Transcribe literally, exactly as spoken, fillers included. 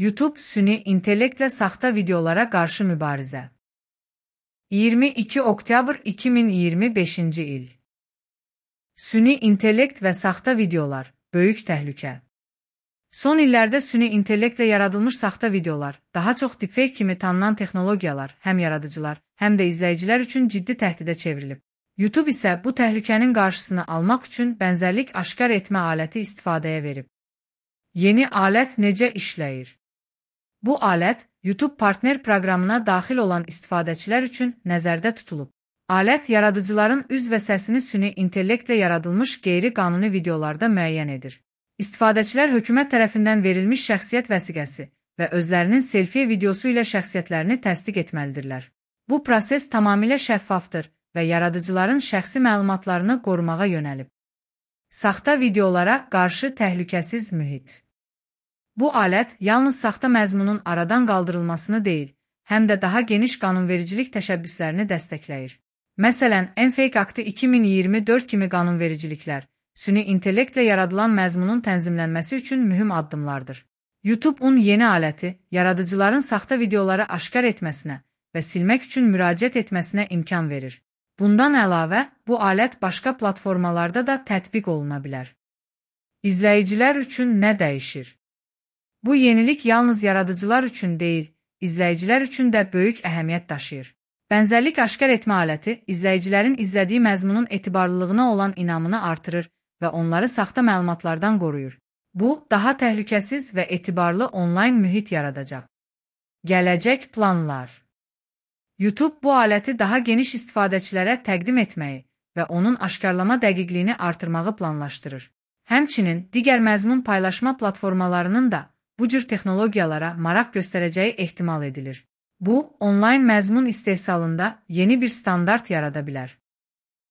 YouTube süni intellektlə saxta videolara qarşı mübarizə. iyirmi iki oktyabr iki min iyirmi beşinci il. Süni intellekt və saxta videolar, böyük təhlükə. Son illərdə süni intellektlə yaradılmış saxta videolar, daha çox deepfake kimi tanınan texnologiyalar, həm yaradıcılar, həm də izləyicilər üçün ciddi təhdidə çevrilib. YouTube isə bu təhlükənin qarşısını almaq üçün bənzərlik aşkar etmə aləti istifadəyə verib. Yeni alət necə işləyir? Bu alət, YouTube partner proqramına daxil olan istifadəçilər üçün nəzərdə tutulub. Alət, yaradıcıların üz və səsini süni intellektlə yaradılmış qeyri-qanuni videolarda müəyyən edir. İstifadəçilər hökumət tərəfindən verilmiş şəxsiyyət vəsiqəsi və özlərinin selfie videosu ilə şəxsiyyətlərini təsdiq etməlidirlər. Bu proses tamamilə şəffafdır və yaradıcıların şəxsi məlumatlarını qorumağa yönəlib. Saxta videolara qarşı təhlükəsiz mühit. Bu alət yalnız saxta məzmunun aradan qaldırılmasını deyil, həm də daha geniş qanunvericilik təşəbbüslərini dəstəkləyir. Məsələn, Enfake Aktı iki min iyirmi dörd kimi qanunvericiliklər, süni intellektlə yaradılan məzmunun tənzimlənməsi üçün mühüm addımlardır. YouTube-un yeni aləti, yaradıcıların saxta videoları aşkar etməsinə və silmək üçün müraciət etməsinə imkan verir. Bundan əlavə, bu alət başqa platformalarda da tətbiq oluna bilər. İzləyicilər üçün nə dəyişir? Bu yenilik yalnız yaradıcılar üçün deyil, izləyicilər üçün də böyük əhəmiyyət daşıyır. Bənzərlik aşkar etmə aləti, izləyicilərin izlədiyi məzmunun etibarlılığına olan inamını artırır və onları saxta məlumatlardan qoruyur. Bu, daha təhlükəsiz və etibarlı onlayn mühit yaradacaq. Gələcək planlar. YouTube bu aləti daha geniş istifadəçilərə təqdim etməyi və onun aşkarlama dəqiqliyini artırmağı planlaşdırır. Həmçinin, digər məzmun paylaşma platformalarının da bu cür texnologiyalara maraq göstərəcəyi ehtimal edilir. Bu, onlayn məzmun istehsalında yeni bir standart yarada bilər.